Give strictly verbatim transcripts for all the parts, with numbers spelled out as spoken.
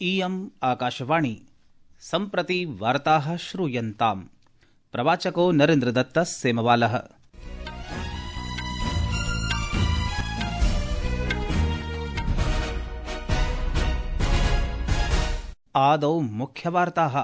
इयम् आकाशवाणी सम्प्रति वार्ताः श्रूयन्ताम्। प्रवाचको नरेन्द्रदत्तः सेमवालः। आदौ मुख्यवार्ताः।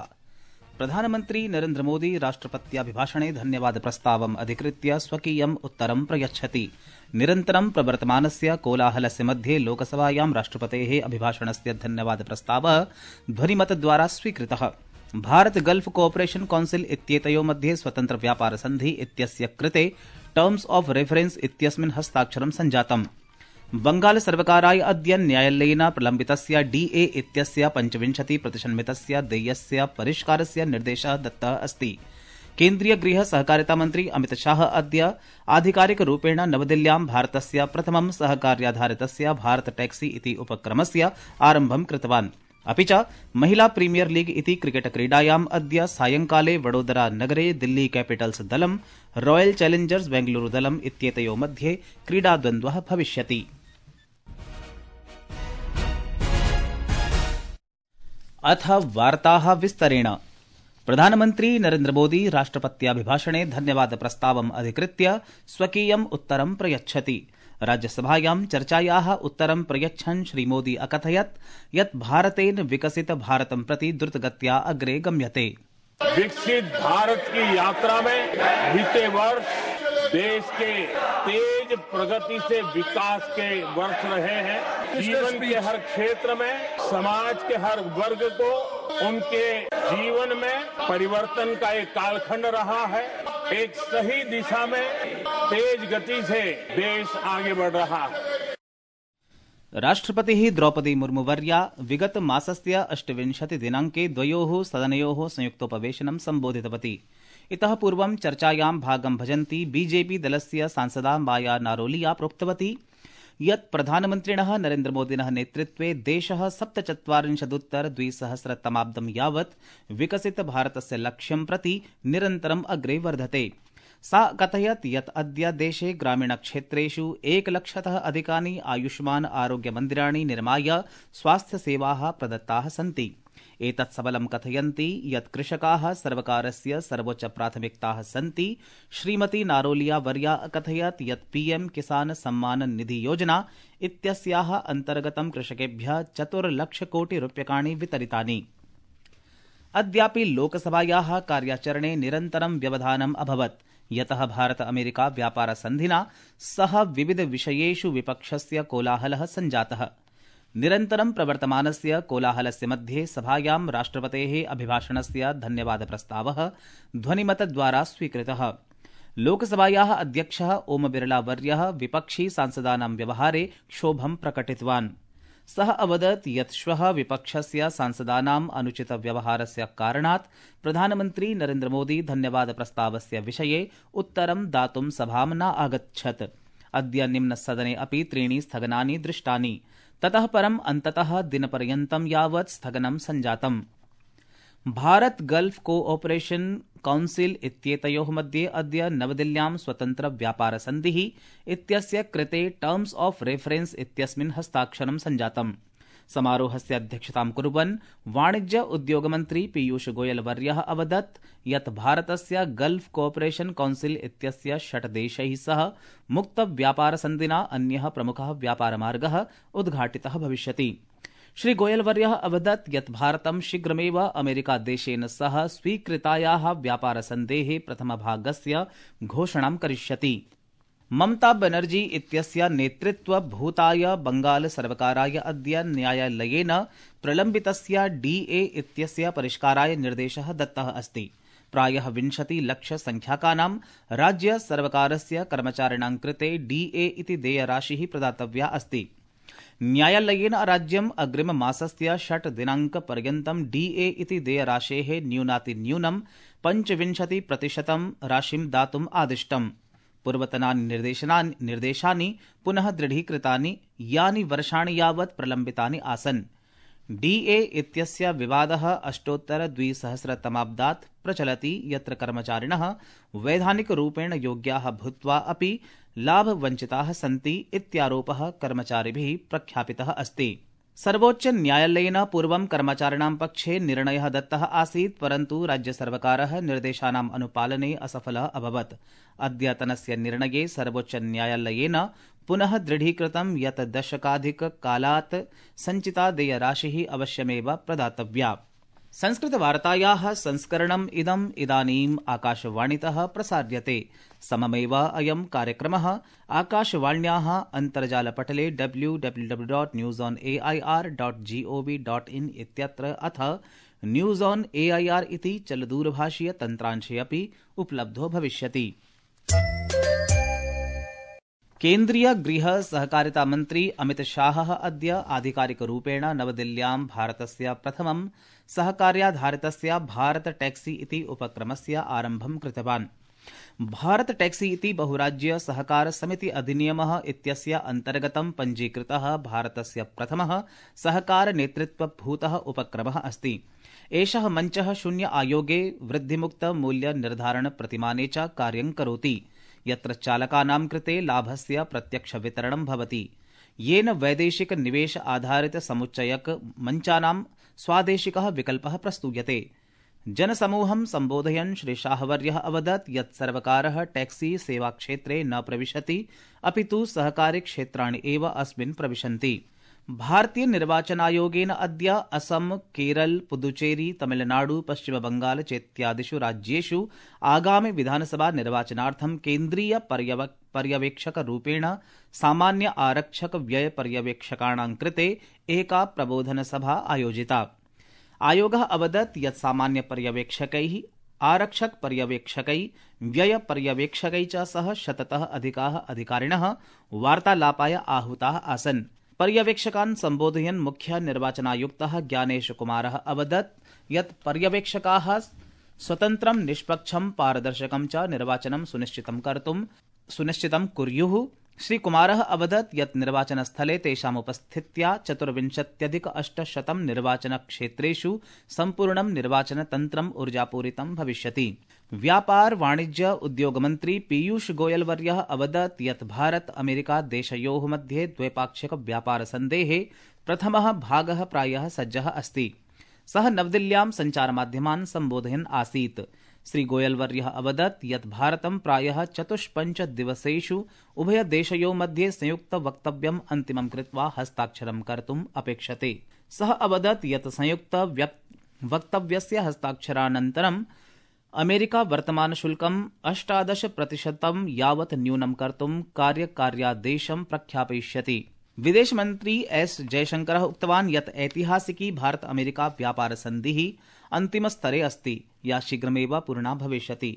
प्रधानमन्त्री नरेन्द्र मोदी राष्ट्रपत्याभिभाषणे धन्यवाद प्रस्तावम् अधिकृत्य स्वकीयम् उत्तरं प्रयच्छति। निरन्तरं प्रवर्तमानस्य कोलाहलस्य मध्ये लोकसभायां राष्ट्रपतेः अभिभाषणस्य धन्यवाद प्रस्तावः ध्वनिमतद्वारा स्वीकृतः। भारत गल्फ कोऑपरेशन काउंसिल इत्येतयोः मध्ये स्वतन्त्र व्यापार सन्धि इत्यस्य कृते टर्म्स ऑफ रेफरेन्स इत्यस्मिन् हस्ताक्षरं सञ्जातम्। बंगाल सर्वकाराय अद्य न्यायालयेन प्रलम्बितस्य डीए इत्यस्य पञ्चविंशति प्रतिशन्मितस्य देयस्य परिष्कारस्य निर्देशः दत्तः अस्ति। केन्द्रीय गृह सहकारिता मन्त्री अमित शाह अद्य आधिकारिकरूपेण नवदिल्ल्यां भारतस्य प्रथमं सहकार्याधारितस्य भारत टैक्सी इति उपक्रमस्य आरम्भं कृतवान्। अपि च महिला प्रीमियर लीग इति क्रिकेट क्रीडायाम् अद्य सायंकाले वडोदरा नगरे दिल्ली कैपिटल्स दलं रॉयल चैलेंजर्स बेंगलुरू दलम् इत्येतयोः मध्ये क्रीडाद्वन्द्वः भविष्यति। अथ वार्ताः विस्तरेण। प्रधानमन्त्री नरेन्द्र मोदी राष्ट्रपत्याभिभाषणे धन्यवाद प्रस्तावम् अधिकृत्य स्वकीयम् उत्तरं प्रयच्छति। राज्यसभायां चर्चायाः उत्तरं प्रयच्छन् श्रीमोदी अकथयत् यत् भारतेन विकसित भारतं प्रति द्रुतगत्या अग्रे गम्यते। विकसित भारत की यात्रा में बीते वर्ष देश के तेज प्रगति से विकास के वर्ष रहे हैं। जीवन के हर क्षेत्र में समाज के हर वर्ग को उनके जीवन में परिवर्तन का एक कालखंड रहा है। एक सही दिशा में तेज गति से देश आगे बढ़ रहा है। राष्ट्रपतिः द्रौपदी मुर्मुवर्या विगत मासस्य अष्टविंशति दिनाङ्के द्वयोः सदनयोः संयुक्तोपवेशनं सम्बोधितवती। इतः पूर्वं चर्चायां भागं भजन्ती बीजेपी दलस्य सांसदा माया नारोलिया प्रोक्तवती यत् प्रधानमन्त्रिणः नरेन्द्रमोदिनः नेतृत्वे देशः सप्तचत्वारिंशदुत्तर द्विसहस्रतमाब्दं यावत् विकसित भारतस्य लक्ष्यं प्रति निरन्तरम् अग्रे वर्धते। सा कथयत् यत् अद्य देशे ग्रामीणक्षेत्रेषु एकलक्षतः अधिकानि आयुष्मान् आरोग्यमन्दिराणि निर्माय स्वास्थ्यसेवाः प्रदत्ताः सन्ति। एतत् सबलं कथयन्ती यत् कृषकाः सर्वकारस्य सर्वोच्च प्राथमिकताः सन्ति। श्रीमती नारोलिया वर्या अकथयत् यत् पीएम किसान सम्मान निधि योजना इत्यस्याः अन्तर्गतं कृषकेभ्यः चतुर्लक्षकोटिरूप्यकाणि वितरितानि। अद्यापि लोकसभायाः कार्याचरणे निरन्तरं व्यवधानम् अभवत् यतः भारत अमेरिका व्यापार सन्धिना सह विविध विषयेषु विपक्षस्य कोलाहलः सञ्जातः। निरन्तरं प्रवर्तमानस्य कोलाहलस्य मध्ये सभायां राष्ट्रपतेः अभिभाषणस्य धन्यवाद प्रस्तावः ध्वनिमतद्वारा स्वीकृतः। लोकसभायाः अध्यक्षः ओम बिरला वर्यः विपक्षी सांसदानां व्यवहारे क्षोभं प्रकटितवान्। सः अवदत् यत् श्वः विपक्षस्य सांसदानाम् अनुचित व्यवहारस्य कारणात् प्रधानमन्त्री नरेन्द्र मोदी धन्यवाद प्रस्तावस्य विषये उत्तरं दातुं सभां न आगच्छत्। अद्य निम्नसदने अपि त्रीणि स्थगनानि दृष्टानि। ततः परम् अन्ततः दिनपर्यन्तं यावत् स्थगनं सञ्जातम्। भारत गल्फ कोऑपरेशन काउंसिल इत्येतयोः मध्ये अद्य नवदिल्ल्यां स्वतन्त्र व्यापार सन्धिः इत्यस्य कृते टर्म्स ऑफ रेफरेन्स इत्यस्मिन् हस्ताक्षरं सञ्जातम्। समारोहस्य अध्यक्षतां कुर्वन् वाणिज्य उद्योगमन्त्री पीयूष गोयल वर्यः अवदत् यत् भारतस्य गल्फ कोऑपरेशन काउंसिल इत्यस्य षट् देशैः सह मुक्त व्यापार सन्धिना अन्यः प्रमुखः व्यापारमार्गः उद्घाटितः भविष्यति। श्री गोयल वर्यः अवदत् यत् भारतं शीघ्रमेव अमेरिकादेशेन सह स्वीकृतायाः व्यापारसन्धेः प्रथमभागस्य घोषणां करिष्यति। ममता बनर्जी इत्यस्य नेतृत्वभूताय बंगाल सर्वकाराय अद्य न्यायालयेन प्रलम्बितस्य डीए इत्यस्य परिष्काराय निर्देशः दत्तः अस्ति। प्रायः विंशति लक्ष संख्याकानां राज्य सर्वकारस्य कर्मचारिणां कृते डीए इति देयराशिः प्रदातव्या अस्ति। न्यायालयेन राज्यम् अग्रिममासस्य षट् दिनाङ्कपर्यन्तं डीए इति देयराशेः न्यूनातिन्यूनं पञ्चविंशति प्रतिशतं राशिं दातुम् आदिष्टम्। पूर्वतनानि निर्देशनानि निर्देशानि पुनः दृढीकृतानि यानि वर्षाणि यावत् प्रलम्बितानि आसन्। डीए इत्यस्य विवादः अष्टोत्तर द्विसहस्रतमाब्दात् प्रचलति यत्र कर्मचारिणः वैधानिकरूपेण योग्याः भूत्वा अपि लाभवञ्चिताः सन्ति इत्यारोपः कर्मचारिभिः प्रख्यापितः अस्ति। सर्वोच्च न्यायालयेन पूर्वं कर्मचारिणां पक्षे निर्णयः दत्तः आसीत्, परन्तु राज्यसर्वकारः निर्देशानाम् अनुपालने असफलः अभवत्। अद्यतनस्य निर्णये सर्वोच्च न्यायालयेन पुनः दृढीकृतं यत् दशकाधिककालात् सञ्चिता देयराशिः अवश्यमेव प्रदातव्या। संस्कृतवार्तायाः संस्करणम् इदम् इदानीम् आकाशवाणीतः प्रसार्यते। सममेव अयं कार्यक्रमः आकाशवाण्याः अन्तर्जालपटले W W W dot news on A I R dot G O V dot in इत्यत्र अथ news on A I R इति चलदूरभाषीय तन्त्रांशे अपि उपलब्धो भविष्यति। केन्द्रीय गृह सहकारिता मन्त्री अमित शाहः अद्य आधिकारिकरूपेण नवदिल्ल्यां भारतस्य प्रथमं सहकार्याधारितस्य भारत टैक्सी इति उपक्रमस्य आरम्भं कृतवान्। भारत टैक्सी इति बहुराज्य सहकार समिति अधिनियमः इत्यस्य अन्तर्गतं पञ्जीकृतः भारतस्य प्रथमः सहकार नेतृत्वभूतः उपक्रमः अस्ति। एषः मञ्चः शून्य आयोगे वृद्धिमुक्त मूल्य निर्धारण प्रतिमाने च कार्यं करोति, यत्र चालकानां कृते लाभस्य प्रत्यक्ष वितरणं भवति, येन वैदेशिक निवेश आधारित समुच्चयक मञ्चानां स्वादेशिकः विकल्पः प्रस्तूयते। जनसमूहं सम्बोधयन् श्री शाहवर्यः अवदत् यत् सर्वकारः टैक्सी सेवाक्षेत्रे न प्रविशति, अपितु सहकारी क्षेत्राणि एव अस्मिन् प्रविशन्ति। भारतीय निर्वाचनायोगेन अद्य असम, केरल, पुदुचेरी, तमिलनाडु, पश्चिमबंगाल चेत्यादिषु राज्येषु आगामि विधानसभा निर्वाचनार्थं केन्द्रीय पर्यवेक्षकरूपेण सामान्य आरक्षक व्यय पर्यवेक्षकाणां कृते एका प्रबोधनसभा आयोजिता। आयोगः अवदत् यत् सामान्य पर्यवेक्षकैः, आरक्षक पर्यवेक्षकै, व्यय पर्यवेक्षकै च सह शततः अधिकाः अधिकारिणः वार्तालापाय आहूताः आसन्। पर्यवेक्षकान् सम्बोधयन् मुख्य निर्वाचनायुक्तः ज्ञानेश कुमारः अवदत् यत् पर्यवेक्षकाः स्वतन्त्रं, निष्पक्षं, पारदर्शकं च निर्वाचनं सुनिश्चितं कर्तुं सुनिश्चितं कुर्युः। श्रीकुमारः अवदत् यत् निर्वाचनस्थले तेषाम् उपस्थित्या चतुर्विंशत्यधिक अष्टशतं निर्वाचनक्षेत्रेषु सम्पूर्णं निर्वाचनतन्त्रम् ऊर्जापूरितं भविष्यति। व्यापार वाणिज्य उद्योगमन्त्री पीयूष गोयल वर्यः अवदत् यत् भारत अमेरिका देशयोः मध्ये द्वैपाक्षिक व्यापारसन्धेः प्रथमः भागः प्रायः सज्जः अस्ति। सः नवदिल्ल्यां सञ्चारमाध्यमान् सम्बोधयन् आसीत्। श्री गोयल वर्यः अवदत् यत् भारतं प्रायः चतुष्पञ्च दिवसेषु उभयदेशयोः मध्ये संयुक्त वक्तव्यम् अन्तिमं कृत्वा हस्ताक्षरं कर्तुम् अपेक्षते। सः अवदत् यत् संयुक्त वक्तव्यस्य हस्ताक्षरानन्तरं अमेरिका वर्तमानशुल्कम् अष्टादश प्रतिशतं यावत् न्यूनं कर्तुं कार्यकार्यादेशं प्रख्यापयिष्यति। विदेशमन्त्री एस जयशंकरः उक्तवान् यत् ऐतिहासिकी भारत अमेरिका व्यापार सन्धिः अन्तिमस्तरे अस्ति, या शीघ्रमेव पूर्णा भविष्यति।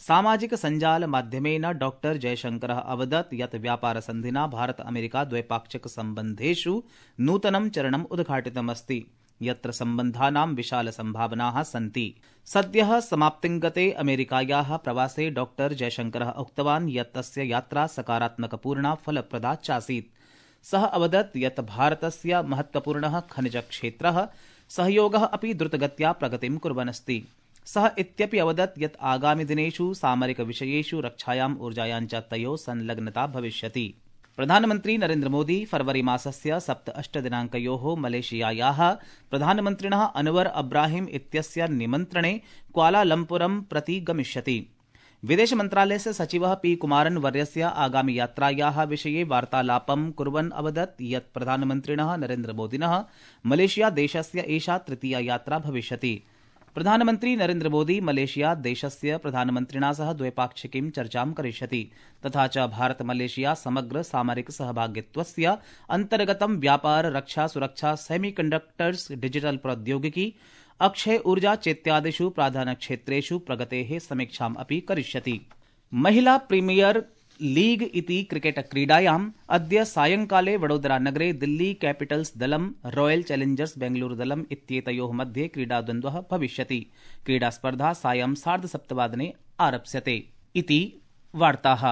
सामाजिक सञ्जाल माध्यमेन डॉक्टर जयशंकरः अवदत् यत् व्यापार सन्धिना भारत अमेरिका द्वैपाक्षिक सम्बन्धेषु नूतनं चरणम् उद्घाटितमस्ति, यत्र सम्बन्धानां विशाल सम्भावनाः सन्ति। सद्यः समाप्तिङ्गते अमेरिकायाः प्रवासे डॉक्टर जयशंकरः उक्तवान् यत् तस्य यात्रा सकारात्मकपूर्णा फलप्रदा चासीत्। सः अवदत् यत् भारतस्य महत्वपूर्णः खनिजक्षेत्रः सहयोगः अपि द्रुतगत्या प्रगतिं कुर्वन्नस्ति। सः इत्यपि अवदत् यत् आगामि दिनेषु सामरिकविषयेषु, रक्षायाम्, ऊर्जायां च तयोः संलग्नता भविष्यति। प्रधानमन्त्री नरेन्द्र मोदी फरवरी मासस्य सप्त अष्ट दिनाङ्कयोः मलेशियायाः प्रधानमन्त्रिणः अनवर अब्राहिम इत्यस्य निमन्त्रणे क्वालालम्पुरं प्रति गमिष्यति। विदेशमन्त्रालयस्य सचिवः पी कुमारन् वर्यस्य आगामि यात्रायाः विषये वार्तालापं कुर्वन् अवदत् यत् प्रधानमन्त्रिणः नरेन्द्र मोदिनः मलेशिया देशस्य एषा तृतीया यात्रा भविष्यति। प्रधानमन्त्री नरेन्द्र मोदी मलेशिया देशस्य प्रधानमन्त्रिणा सह द्वैपाक्षिकीं चर्चां करिष्यति, तथा च भारत मलेशिया समग्र सामरिक सहभागित्वस्य अन्तर्गतं व्यापार, रक्षा, सुरक्षा, सेमीकण्डक्टर्स्, डिजिटल प्रौद्योगिकी, अक्षय ऊर्जा चेत्यादिषु प्राधान्यक्षेत्रेषु प्रगतेः समीक्षाम् अपि करिष्यति। महिला प्रीमियर लीग इति क्रिकेट क्रीडायाम् अद्य सायंकाले वडोदरानगरे दिल्ली कैपिटल्स् दलं रॉयल चैलेंजर्स् बेंगलुरु दलम् इत्येतयोः मध्ये क्रीडाद्वन्द्वः भविष्यति। क्रीडास्पर्धा सायं सार्धसप्तवादने आरप्स्यते। इति वार्ताः।